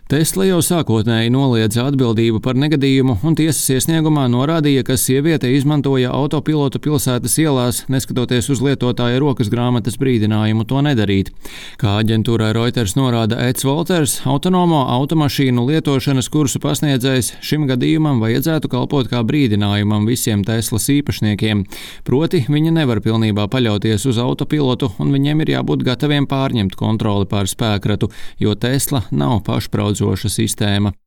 Tesla jau sākotnēji noliedza atbildību par negadījumu un tiesas iesniegumā norādīja, ka sieviete izmantoja autopilotu pilsētas ielās, neskatoties uz lietotāja rokas grāmatas brīdinājumu to nedarīt. Kā aģentūrai Reuters norāda Eds Volters, autonomo automašīnu lietošanas kursu pasniedzējs šim gadījumam vajadzētu kalpot kā brīdinājumam visiem Teslas īpašniekiem. Proti, viņi nevar pilnībā paļauties uz autopilotu un viņiem ir jābūt gataviem pārņemt kontroli pār spēkratu, jo Tesla nav pašpraudzoša sistēma.